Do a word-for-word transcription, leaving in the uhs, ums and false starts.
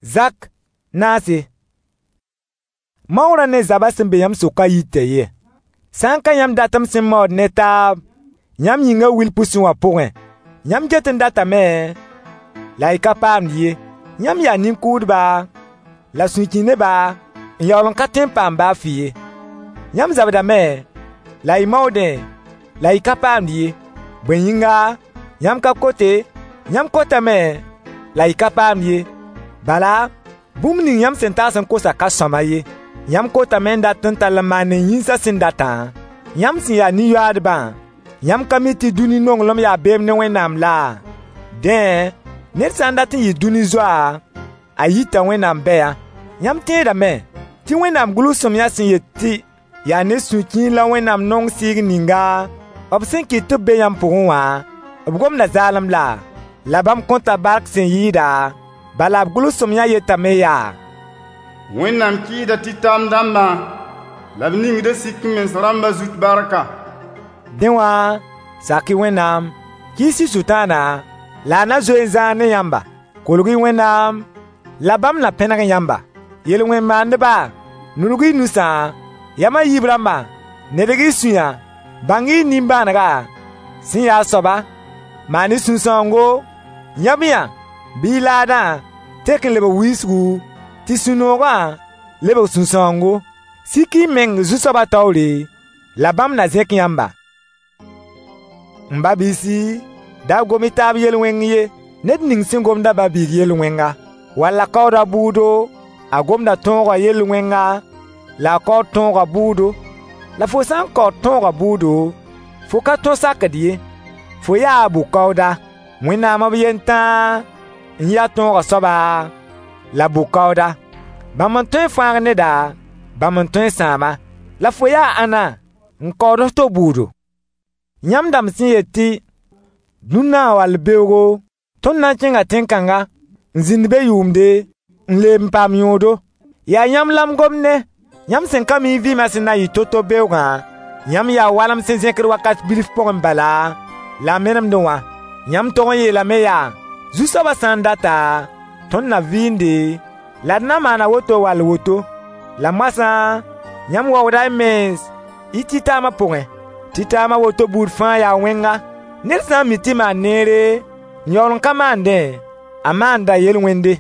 Zak naase. Maoorã ne zabã sẽn be yãmb sʋkã yita ye. Sã n ka yãmb datem sẽn maood ne taab yãmb yĩngã wil pʋsẽ wã pʋgẽ, yãmb get n datame la y ka paamd ye. Yãmb yaa nin-kʋʋdba la sũ-kĩ-neba n yaool n ka tõe n paam ba fɩ ye. Yãmb zabdame la y maoodẽ la y ka paamd ye. Bõe yĩnga, yãmb ka kote, yãmb kotame la y ka paamd ye. Bala, bũmb ning yãmb sẽn tags n kosã ka sõama ye. Yãmb kotame n dat n tall n maan y yĩnsã sẽn datã. Yãmb sẽn ya nin-yoaadbã, yãmb ka mi tɩ dũni nonglem yaa beem ne Wẽnnaam laa? Dẽ, ned sã n dat n yɩ dũni zoa, a yita Wẽnnaam bɛyã. Yãmb tẽedame tɩ Wẽnnaam gʋls-sõamyã sẽn yet tɩ yaa ne sũ-kiir la Wẽnnaam nong sɩɩg ninga b sẽn kɩt tɩ b be yãmb pʋgẽ wã, b gomda zaalem laa? La bãmb kõta bark sẽn yɩɩda, bala b gʋls-sõamyã yetame yaa: Wẽnnaam kɩɩsda tɩtaam dãmbã la b ningda sik-m-mens rãmbã zut barka. Dẽ wã, sak-y Wẽnnaam, kɩɩs-y Sʋtãana, la a na zoe n zãag ne yãmba. Kolg-y Wẽnnaam, la bãmb na pẽneg yãmba. Yel-wẽn maandba, nudg-y y nusã, yam a yiib rãmba, nedg-y y sũya. Bãng-y y nimbãanega sẽn ya a soaba. Maan-y sũ-sãoongo, yãb-yã bɩ y laadã tek n lebg wilsgu, tɩ sũ-noogã lebg sũ-sãoongo. Sik-y y meng Zu-soabã taoore, la bãmb na zẽk yãmba. M ba-biisi, da gom-y taab yel-wẽng ye. Ned ning sẽn gomd a ba-biig yel-wẽnga, wall a kaood a bʋʋdo, a gomda tõogã yel-wẽnga la a kaood tõogã bʋʋdo. La fo sã n kaood tõogã bʋʋdo, fo ka tõ sakd ye, fo yaa a bʋ-kaooda. Wẽnnaam b yen tãa n ya tõogã soaba la bʋ-kaooda. Bãmb n tõe n fãag neda, bãmb n tõe n sãam-a. La fo yaa ãnna n kaood f to bʋʋdo? Yãmb dãmb sẽn yet tɩ: «Dũnna wall beoogo, tõnd na n kẽnga tẽn-kãnga n zĩnd be yʋʋmde, n leeb n paam yõodo.» Yaa yãmb la m gomd ne, yãmb sẽn ka mi y vɩɩmã sẽn na n yɩ to-to beoogã. Yãmb yaa walem sẽn zẽkd wakat bilf pʋgẽ bala la a menemdẽ wã. Yãmb tog n yeelame yaa: «Zu-soabã sã n data, tõnd na vɩɩnde, la d na maana woto wall woto.» La moasã yãmb waooda y mens y tɩtaamã pʋgẽ. Tɩtaam a woto buud fãa yaa wẽnga. Ned sã n mi tɩ maan neere, n yaool n ka maandẽ, a maanda yel-wẽnde.